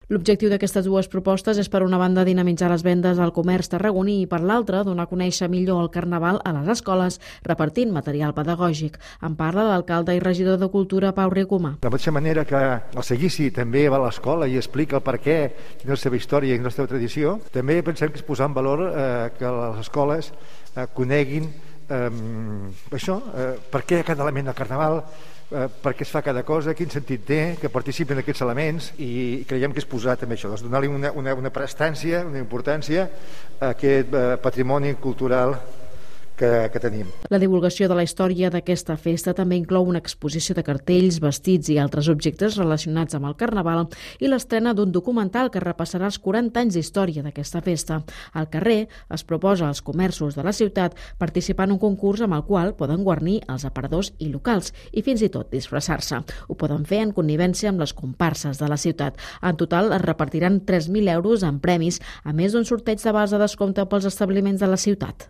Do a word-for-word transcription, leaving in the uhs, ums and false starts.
L'objectiu d'aquestes dues propostes és, per una banda, dinamitzar les vendes al comerç tarragoní i, per l'altra, donar a conèixer millor el Carnaval a les escoles, repartint material pedagògic. En parla l'alcalde i regidor de Cultura, Pau Ricomà. De la mateixa manera que el Seguici també va a l'escola i explica el per què, quina és la seva història i la seva tradició, també pensem que és posar en valor eh, que les escoles eh, coneguin eh, això, eh, per què cada element del Carnaval, eh, per què es fa cada cosa, quin sentit té, que participin aquests elements, i creiem que és posar també això, doncs donar-li una, una, una prestància, una importància a aquest eh, patrimoni cultural Que, que tenim. La divulgació de la història d'aquesta festa també inclou una exposició de cartells, vestits i altres objectes relacionats amb el Carnaval i l'estrena d'un documental que repassarà els quaranta anys d'història d'aquesta festa. Al carrer es proposa als comerços de la ciutat participar en un concurs amb el qual poden guarnir els aparadors i locals i fins i tot disfressar-se. Ho poden fer en connivència amb les comparses de la ciutat. En total es repartiran tres mil euros en premis, a més d'un sorteig de vals de descompte pels establiments de la ciutat.